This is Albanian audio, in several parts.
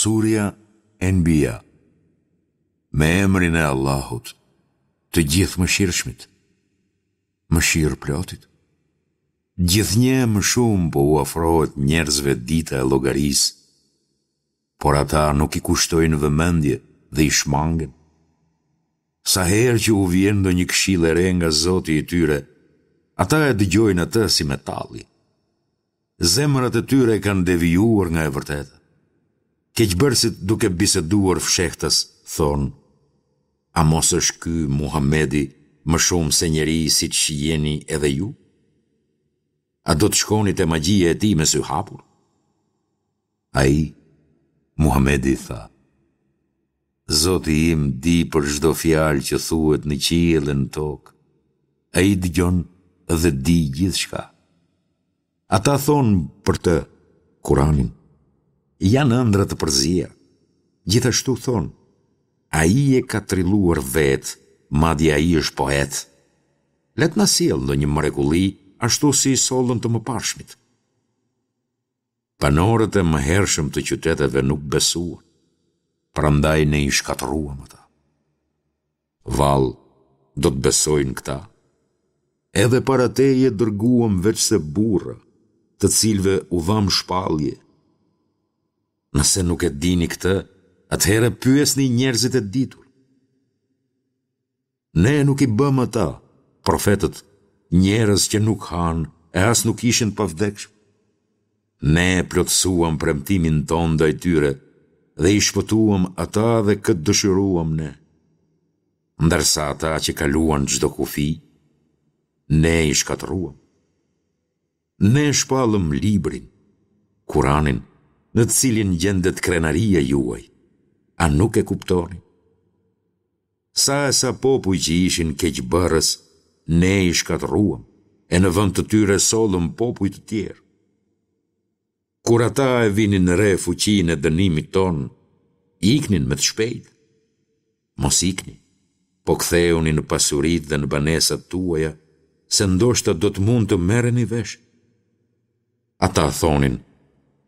Surja Enbija Me emrin e Allahut, të Gjithëmëshirshmit, Mëshirëplotit. Gjithnjë e më shumë po u afrohet njerëzve dita e llogarisë, por ata nuk i kushtojnë vëmendje dhe i shmangen. Sa herë që u vjen ndonjë këshillë e re nga Zoti i tyre, ata e dëgjojnë atë si me tallje. Zemrat e tyre kanë devijuar nga e vërteta. Keqbërësit duke biseduar fshehtas, thonë, A mos është ky Muhamedi më shumë se njeri siç jeni edhe ju? A do të shkoni te magjia e tij me sy hapur? Ai, Muhamedi, tha, Zoti im di për çdo fjalë që thuhet në qiell e në tokë. Ai dëgjon dhe di gjithçka. Ata thonë për të, Kuranin, janë ëndrra të përziera. Gjithashtu thonë, ai e ka trilluar vetë, madje ai është poet. Le të na sjellë ndonjë mrekulli, ashtu si i sollën të mëparshmit. Banorët e mëhershëm të qyteteve nuk besuan, prandaj ne i shkatërruam ata. Vallë, do të besojnë këta? Edhe para teje dërguam veçse burra, të cilëve u dhamë shpallje. Nëse nuk e dini këtë, atëherë pyesni njerëzit e ditur. Ne nuk i bëmë ata, profetët, njerëz që nuk hanë e as nuk ishin të pavdekshëm. Ne e plotësuam premtimin tonë ndaj tyre dhe i shpëtuam ata dhe kë dëshiruam ne. Ndërsa ata që kaluan çdo kufi, ne i shkatërruam. Ne shpallëm librin, Kuranin, në të cilin gjendet krenaria juaj. A nuk e kuptoni? Sa e sa popuj që ishin keqbërës, Ne i shkatërruam, e në vend të tyre sollëm popuj të tjerë. Kur ata e vinin re fuqinë e dënimit tonë, iknin me të shpejtë. Mos ikni, po kthehuni në pasuritë dhe në banesat tuaja, se ndoshta do të mund të merreni vesh. Ata thonin,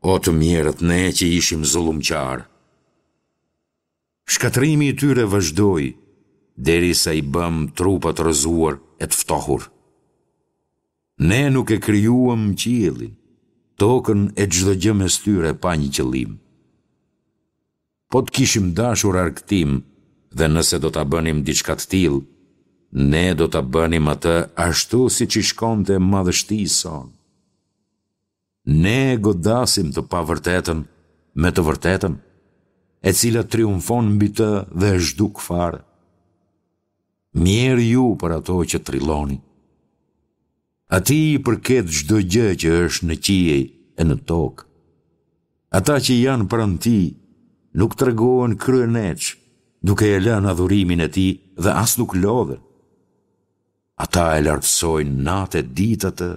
o të mjerët ne që ishim zullumqarë. Shkatërrimi i tyre vazhdoi, derisa i bëmë trupa të rrëzuar e të ftohur. Ne nuk e krijuam qiellin, tokën e çdo gjë mes tyre pa një qëllim. Po të kishim dashur argëtim dhe nëse do ta bënim diçka të tillë, ne do ta bënim atë ashtu siç i shkonte madhështisë sonë. Ne e godasim të pavërtetën me të vërtetën, e cila triumfon mbi të dhe e zhduk fare. Mjerë ju për ato që trilloni. Atij i përket çdo gjë që është në qiej e në tokë. Ata që janë pranë tij nuk tregohen kryeneçë, duke e lënë adhurimin e tij dhe as nuk lodhen. Ata e lartësojnë natë e ditë atë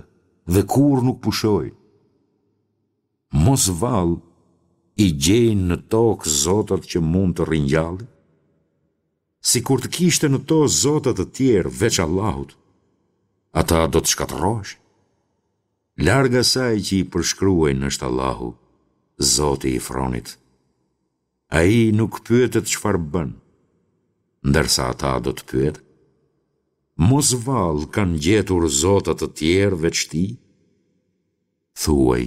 dhe kurrë nuk pushojnë. Mos vallë i gjejnë në tokë zotat që mund të ringjallin? Sikur të kishte në to zota të tjerë veç Allahut, ata do të shkatërroheshin. Larg asaj që i përshkruajnë është Allahu, Zoti i fronit. Ai nuk pyetet çfarë bën, ndërsa ata do të pyeten. Mos vallë kanë gjetur zota të tjerë veç tij? Thuaj,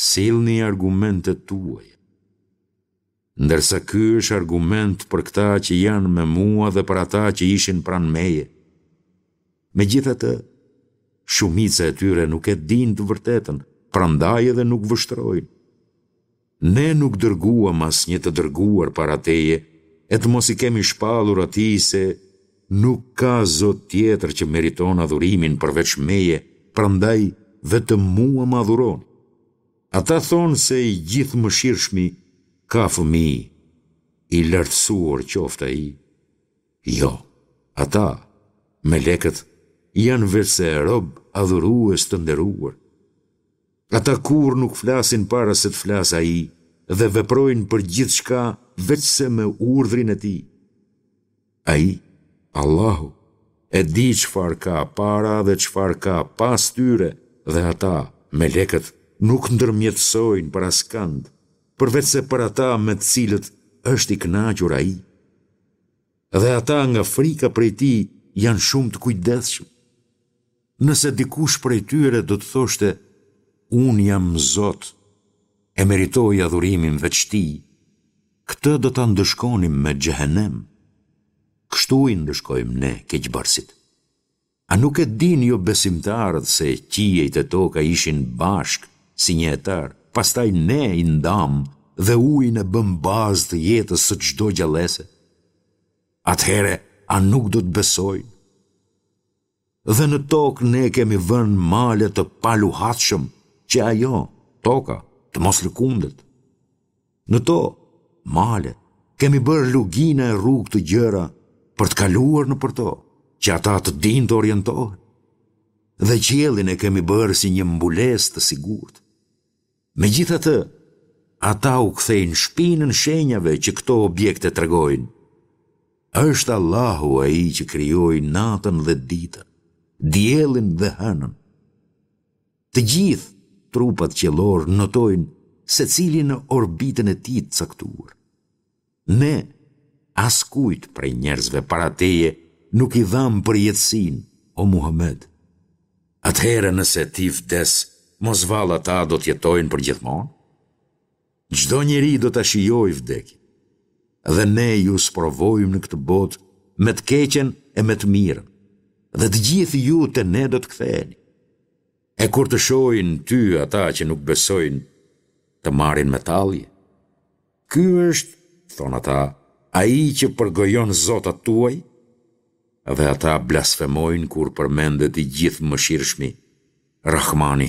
sillni argumentet tuaja. Ndërsa ky është argument për këta që janë me mua dhe për ata që ishin pranë meje. Megjithatë, shumica e tyre nuk e dinë të vërtetën, prandaj edhe nuk vështrojnë. Ne nuk dërguam asnjë të dërguar para teje e të mos i kemi shpallur atij se nuk ka zot tjetër që meriton adhurimin përveç meje, prandaj vetëm mua më adhuroni. Ata thonë se i Gjithëmëshirshmi ka fëmijë, i lartësuar qoftë ai. Jo, ata, melekët, janë veçse rob adhurues të nderuar. Ata kurrë nuk flasin para se të flasë ai dhe veprojnë për gjithçka veçse me urdhrin e tij. Ai, Allahu, e di çfarë ka para dhe çfarë ka pas tyre dhe ata, melekët, nuk ndërmjetësojnë për askënd. përveçse për ata me të cilët është i kënaqur Ai. Dhe ata nga frika prej Tij janë shumë të kujdesshëm. Nëse dikush prej tyre do të thoshte, Unë jam Zot, e meritoj adhurimin veç Tij, këtë do ta ndëshkonim me xhehenem. Kështu i ndëshkojmë ne keqbërësit. A nuk e dinë jobesimtarët se qiejt e toka ishin bashkë si një e tërë, pastaj ne i ndamë dhe ujin e bëmë bazë të jetës së çdo gjallese? Atëherë a nuk do të besojnë? Dhe në tokë ne kemi vënë male të paluhatshëm që ajo, toka, të mos lëkundet. Në to, male, kemi bërë lugina e rrugë të gjera për të kaluar nëpër to, që ata të dinë të orientohen. Dhe qiellin e kemi bërë si një mbulesë të sigurt. Megjithatë, ata u kthejnë shpinën shenjave që këto objekte tregojnë. Është Allahu ai që krijoi natën dhe ditën, diellin dhe hënën. Të gjithë trupat qiellorë notojnë secili në orbitën e tij të caktuar. Ne, askujt prej njerëzve para teje nuk i dhamë përjetësinë, o Muhamed. Atëherë nëse ti vdes, mos vallë ata do të jetojnë përgjithmonë? Çdo njeri do ta shijojë vdekjen. Dhe ne ju sprovojmë në këtë botë me të keqen e me të mirën. Dhe të gjithë ju te ne do të ktheheni. E kur të shohin ty ata që nuk besojnë, të marrin me tallje. Ky është, thonë ata, ai që përgojon zotat tuaj? Dhe ata blasfemojnë kur përmendet i Gjithëmëshirshmi, Rahmani.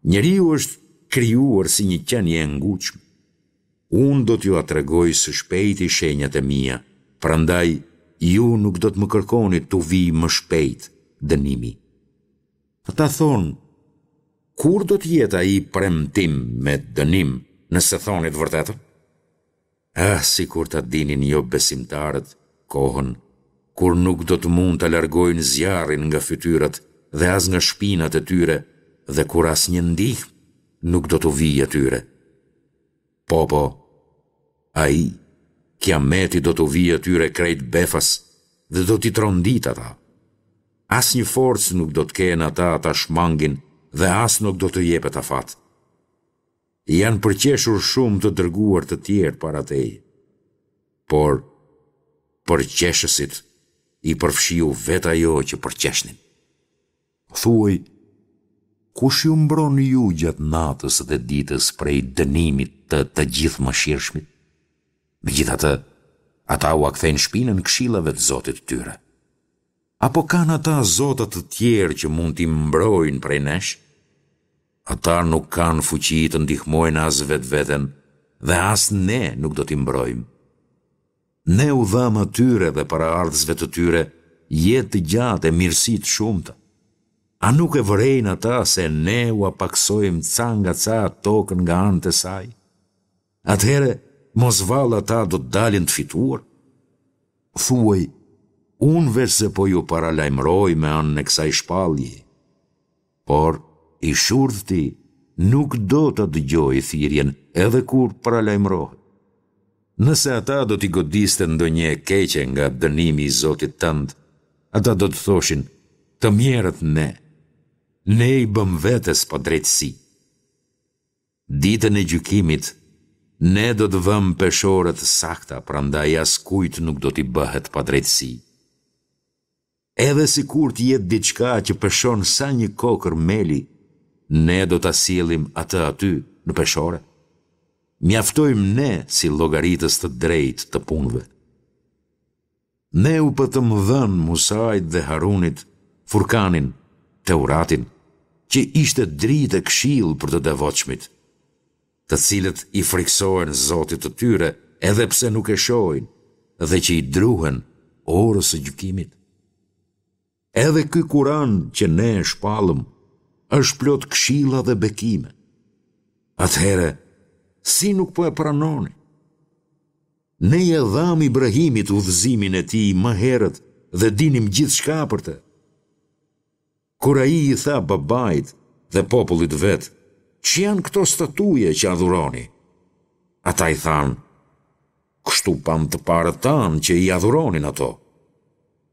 Njeriu është krijuar si një qenie e ngutshme. Unë do t'jua tregoj së shpejti shenjat e mia, prandaj ju nuk do të më kërkoni t'u vijë më shpejt dënimi. Ata thonë, Kur do të jetë ai premtim me dënim, nëse thoni të vërtetën? Ah, sikur ta dinin jobesimtarët kohën kur nuk do të mund ta largojnë zjarrin nga fytyrat dhe as nga shpinat e tyre dhe kur asnjë ndihmë nuk do t'u vijë atyre. Po, po, ai, kiameti do t'u vijë atyre krejt befas dhe do t'i tronditë ata. Asnjë forcë nuk do të kenë ata ta shmangin dhe as nuk do t'u jepet afat. Janë përqeshur shumë të dërguar të tjerë para teje. Por, përqeshësit i përfshiu vetë ajo që përqeshnin. Thuaj, kush ju mbron ju gjatë natës dhe ditës prej dënimit të të Gjithëmëshirshmit? Megjithatë, ata ua kthejnë shpinën këshillave të Zotit të tyre. Apo kanë ata zota të tjerë që mund t'i mbrojnë prej nesh? Ata nuk kanë fuqi të ndihmojnë as vetveten dhe as ne nuk do t'i mbrojmë. Ne u dhamë atyre dhe paraardhësve të tyre jetë të gjatë e mirësi të shumta. A nuk e vërejnë ata se ne ua pakësojmë ca nga ca tokën nga anët e saj? Atëherë, mos vallë ata do të dalin të fituar? Thuaj, unë veçse po ju paralajmëroj me anën e kësaj shpalljeje. Por, i shurdhti nuk do ta dëgjojë thirrjen edhe kur paralajmërohet. Nëse ata do t'i godiste ndonjë e keqe nga dënimi i Zotit tënd, ata do të thoshin, të mjerët ne, ne i bëmë vetes padrejtësi. Ditën e gjykimit, ne do të vëmë peshore të sakta, prandaj askujt nuk do t'i bëhet padrejtësi. Edhe sikur të jetë diçka që peshon sa një kokërr meli, ne do ta sjellim atë aty, në peshore. Mjaftojmë ne si llogaritës të drejtë të punëve. Ne u patëm dhënë Musait dhe Harunit Furkanin, Teuratin, që ishte dritë e këshillë për të devotshmit, të cilët i frikësohen Zotit të tyre edhe pse nuk e shohin dhe që i druhen orës së gjykimit. Edhe ky Kuran që ne e shpallëm është plot këshilla dhe bekime. Atëherë, si nuk po e pranoni? Ne ia dhamë Ibrahimit udhëzimin e tij më herët dhe dinim gjithçka për të. Kur ai i tha babait dhe popullit të vet, Ç'janë këto statuje që adhuroni? Ata i thanë, Kështu pamë të parët tanë që i adhuronin ato.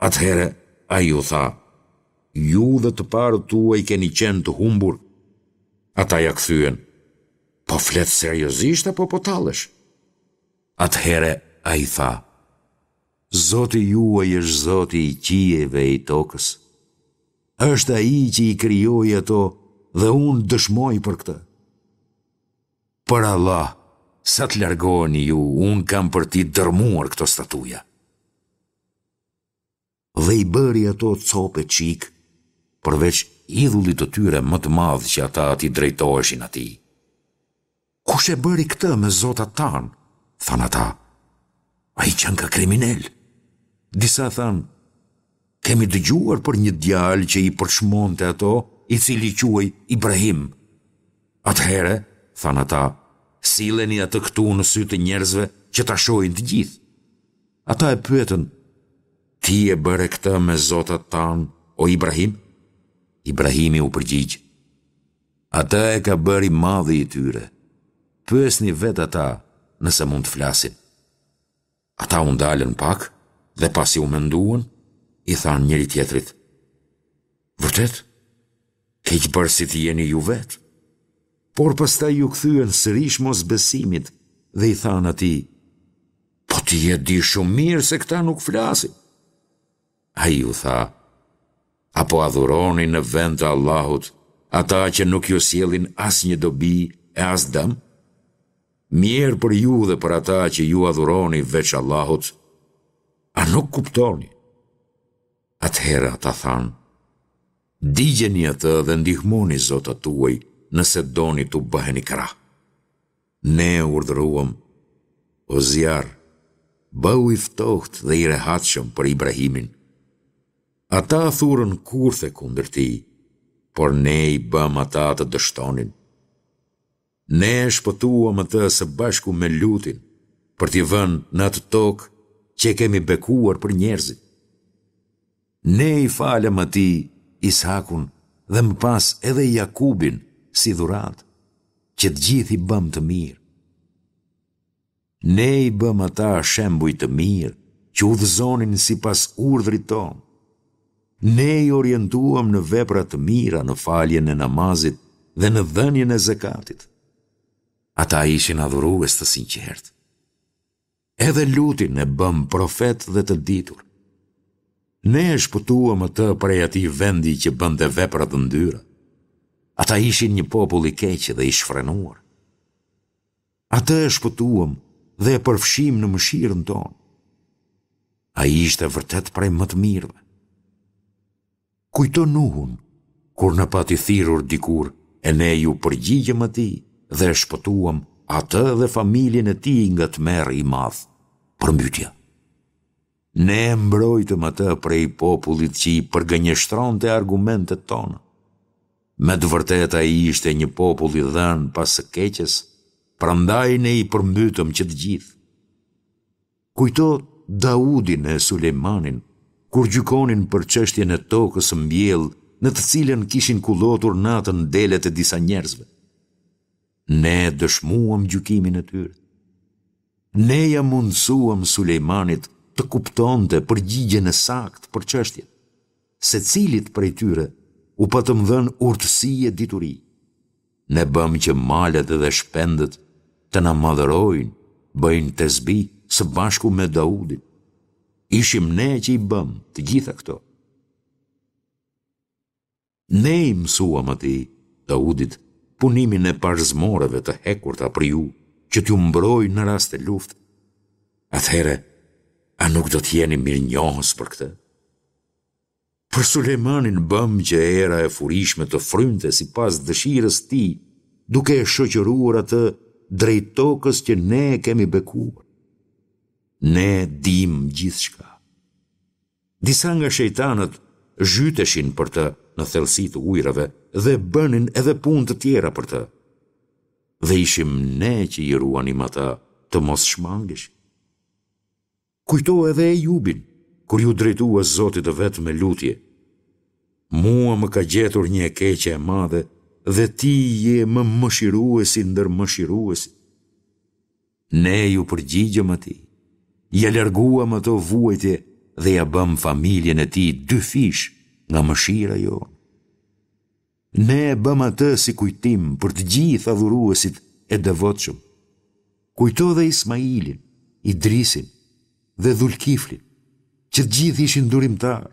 Atëherë ai u tha, Ju dhe të parët tuaj keni qenë të humbur. Ata ia kthyen, Po flet seriozisht apo po tallesh? Atëherë ai tha, Zoti juaj është Zoti i qiejve e i tokës. Është Ai që i krijoi ato dhe unë dëshmoj për këtë. Për Allah, sa të largoheni ju, unë kam për t'i dërmuar këto statuja. Dhe i bëri ato copë e çikë, përveç idhullit të tyre më të madh që ata t'i drejtoheshin atij. Kush e bëri këtë me zotat tanë? thanë ata. Ai qenka kriminel. Disa thanë, kemi dëgjuar për një djalë që i përçmonte ato, i cili quhej Ibrahim. Atëherë, thanë ata, silleni atë këtu në sy të njerëzve që ta shohin të gjithë. Ata e pyetën, ti e bëre këtë me zotat tanë, o Ibrahim? Ibrahimi u përgjigj, atë e ka bërë i madhi i tyre, pyesni vetë ata nëse mund të flasin. Ata u ndalën pak dhe pasi u menduan, i thanë njëri-tjetrit, Vërtet, keqbërësit jeni ju vetë. Por pastaj iu kthyen sërish mosbesimit dhe i thanë atij, Po ti e di shumë mirë se këta nuk flasin. Ai u tha, A po adhuroni në vend të Allahut ata që nuk ju sjellin asnjë dobi e as dëm? Mjerë për ju dhe për ata që ju adhuroni veç Allahut, a nuk kuptoni? Atëherë ata thanë, Digjeni atë dhe ndihmoni zotat tuaj nëse doni t'u bëheni krah. Ne e urdhëruam, O zjarr, bëhu i ftohtë dhe i rehatshëm për Ibrahimin. Ata thurën kurthe kundër tij, por ne i bëmë ata të dështonin. Ne e shpëtuam atë së bashku me Lutin, për t'i vënë në atë tokë që e kemi bekuar për njerëzit. Ne i falëm atij Is'hakun dhe më pas edhe Jakubin si dhuratë, që të gjithë i bëmë të mirë. Ne i bëmë ata shembuj të mirë që udhëzonin sipas urdhrit tonë. Ne i orientuam në vepra të mira në faljen e namazit dhe në dhënien e zekatit. Ata ishin adhurues të sinqertë. Edhe Lutin e bëmë profet dhe të ditur. Ne e shpëtuam atë prej atij vendi që bënte vepra të ndyra. Ata ishin një popull i keq dhe i shfrenuar. Atë e shpëtuam dhe e përfshimë në mëshirën tonë. Ai ishte vërtet prej më të mirëve. Kujto Nuhun, kur na pati thirrur dikur e ne iu përgjigjëm atij dhe e shpëtuam atë dhe familjen e tij nga tmerri i madh, përmbytja. Ne e mbrojtëm atë prej popullit që i përgënjeshtronte argumentet tona. Me të vërtetë ai ishte një popull i dhënë pas së keqes, prandaj ne i përmbytëm që të gjithë. Kujto Daudin e Sulejmanin, kur gjykonin për çështjen e tokës së mbjellë në të cilën kishin kullotur natën delet e disa njerëzve. Ne dëshmuam gjykimin e tyre. Ne ia mundësuam Sulejmanit të kuptonte përgjigjen e saktë për çështjen. Secilit prej tyre u patëm dhënë urtësi e dituri. Ne bëmë që malet dhe shpendët të na madhërojnë, bëjnë tesbih së bashku me Daudin. Ishim ne që i bëmë të gjitha këto. Ne i mësuam atij, Daudit, punimin e parzmoreve të hekurta për ju, që t'ju mbrojë në raste lufte. Atëherë, a nuk do të jeni mirënjohës për këtë? Për Sulejmanin bëmë që era e furishme të frynte sipas dëshirës së tij, duke e shoqëruar atë drejt tokës që ne e kemi bekuar. Ne dimë gjithçka. Disa nga shejtanët zhyteshin për të në thellësi të ujërave dhe bënin edhe punë të tjera për të. Dhe ishim ne që i ruanim ata të mos shmangeshin. Kujto edhe Ejubin, kur iu drejtua Zotit të vet me lutje, Mua më ka gjetur një e keqe e madhe dhe ti je më mëshiruesi ndër mëshiruesit. Ne iu përgjigjëm atij, ia larguam ato vuajtje dhe ia bëmë familjen e tij dyfish nga mëshira jonë. Ne e bëmë atë si kujtim për të gjithë adhuruesit e devotshëm. Kujto dhe Ismailin, Idrisin dhe Dhulkiflin, që të gjithë ishin durimtarë.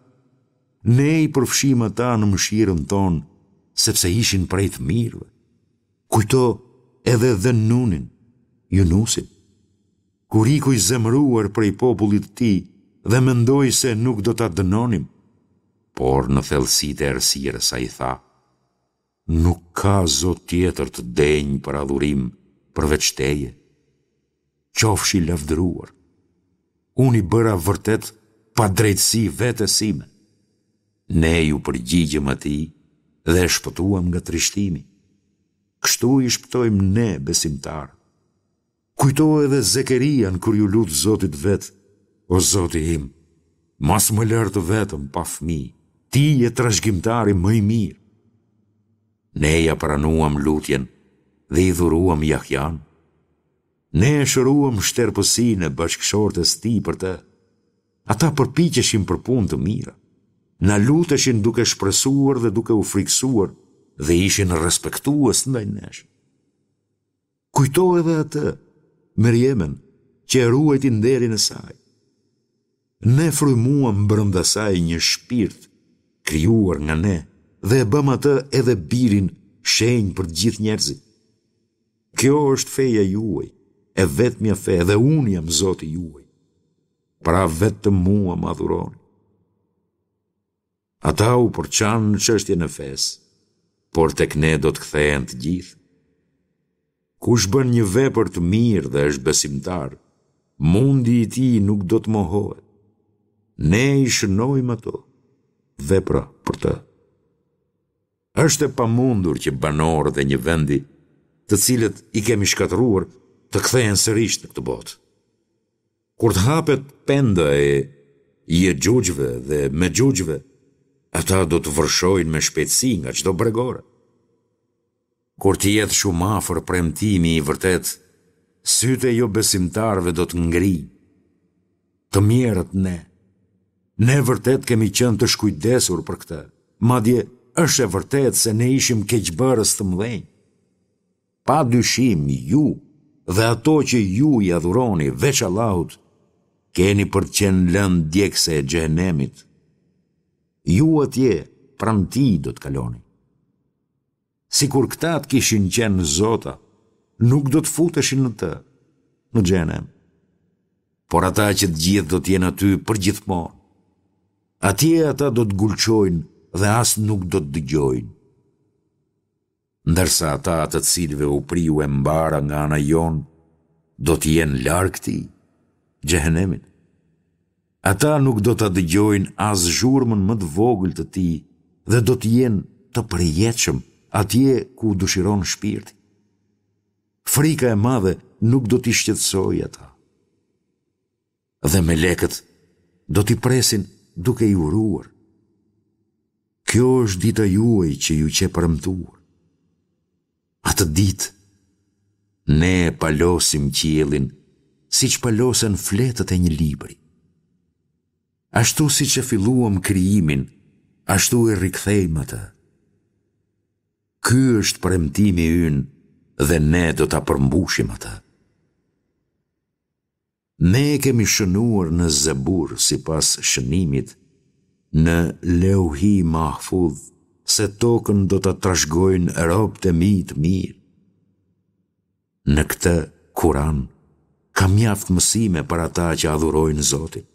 Ne i përfshimë ata në mëshirën tonë, sepse ishin prej të mirëve. Kujto edhe Dhennunin, Junusin, kur iku i zemëruar prej popullit të tij dhe mendoi se nuk do ta dënonim, por në thellësitë e errësirës ai tha, Nuk ka zot tjetër të denjë për adhurim përveç teje. Qofsh i lavdëruar. Unë i bëra vërtet padrejtësi vetes sime. Ne iu përgjigjëm atij dhe e shpëtuam nga trishtimi. Kështu i shpëtojmë ne besimtarët. Kujto edhe Zekerian kur iu lut Zotit të vet, O Zoti im, mos më lër të vetëm pa fëmijë, ti je trashëgimtari më i mirë. Ne ia pranuam lutjen dhe i dhuruam Jahjanë. Ne e shëruam shterpësinë e bashkëshortes tij për të. Ata përpiqeshin për punë të mira. Na luteshin duke shpresuar dhe duke u frikësuar dhe ishin respektues ndaj nesh. Kujto edhe atë, Merjemen, që e ruajti nderin e saj. Ne frymuam brenda saj një shpirt, krijuar nga ne, dhe e bëmë atë edhe birin shenjë për të gjithë njerëzit. Kjo është feja juaj, e vetmja fe dhe unë jam Zoti juaj. Pra vetëm mua më adhuroni. Ata u përçanë në çështjen e fesë, por tek ne do të kthehen të gjithë. Kush bën një vepër të mirë dhe është besimtar, mundi i tij nuk do të mohohet. Ne i shënojmë ato vepra për të. Është e pamundur që banorët e një vendi, të cilët i kemi shkatërruar, të kthehen sërish në këtë botë. Kur të hapet penda e Jexhuxhve dhe Mexhuxhve, ata do të vërshojnë me shpejtësi nga çdo bregore. Kur të jetë shumë afër premtimi i vërtetë, sytë e jobesimtarëve do të ngrijnë. Të mjerët ne. Ne vërtet kemi qenë të shkujdesur për këtë. Madje është e vërtetë se ne ishim keqbërës të mëdhenj. Pa dyshim ju dhe ato që ju i adhuroni veç Allahut, keni për të qenë lëndë djegëse e xhehenemit. Ju atje pranë tij do të kaloni. Sikur këta të kishin qenë zota, nuk do të futeshin në të, në xhehenem. Por ata që të gjithë do të jenë aty përgjithmonë. Atje ata do të gulçojnë dhe as nuk do të dëgjojnë. Ndërsa ata të cilëve u priu e mbara nga ana jonë, do të jenë larg tij, xhehenemit. Ata nuk do ta dëgjojnë as zhurmën më të vogël të tij dhe do të jenë të përjetshëm atje ku dëshiron shpirti. Frika e madhe nuk do t'i shqetësojë ata. Dhe melekët do t'i presin duke i uruar. Kjo është dita juaj që ju qe premtuar. Atë ditë, ne e palosim qiellin siç palosen fletët e një libri. Ashtu siç e filluam krijimin, ashtu e rikthejmë atë. Ky është premtimi ynë dhe ne do ta përmbushim atë. Ne e kemi shënuar në Zebur sipas shënimit në Leuhi Mahfudh se tokën do ta trashëgojnë robët e mi të mirë. Në këtë Kuran ka mjaft mësime për ata që adhurojnë Zotin.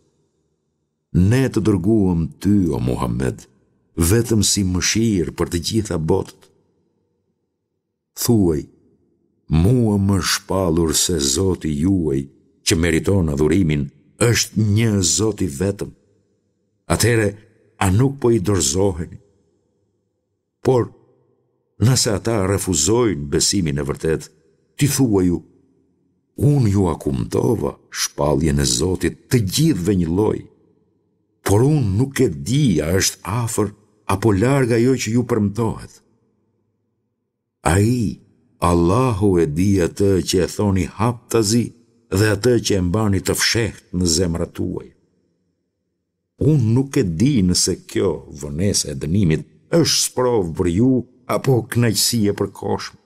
Ne të dërguam ty, o Muhammed, vetëm si mëshirë për të gjitha botët. Thuaj, Mua më është shpallur se Zoti juaj, që meriton adhurimin, është një Zot i vetëm. Atëherë, a nuk po i dorëzoheni? Por, nëse ata refuzojnë besimin e vërtetë, ti thuaju, Unë jua kumtova shpalljen e Zotit të gjithëve njëlloj, por unë nuk e di a është afër apo larg ajo që ju premtohet. Ai, Allahu e di atë që e thoni haptazi dhe atë që e mbani të fshehtë në zemrat tuaja. Unë nuk e di nëse kjo vonesa e dënimit është sprovë për ju apo kënaqësi e përkohshme.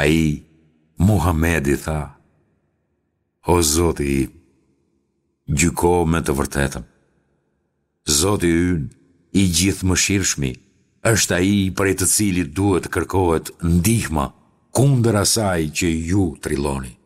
Ai, Muhamedi, tha, O Zoti im, gjyko me të vërtetën. Zoti ynë, i Gjithëmëshirshmi, është ai prej të cilit duhet të kërkohet ndihma kundër asaj që ju trilloni.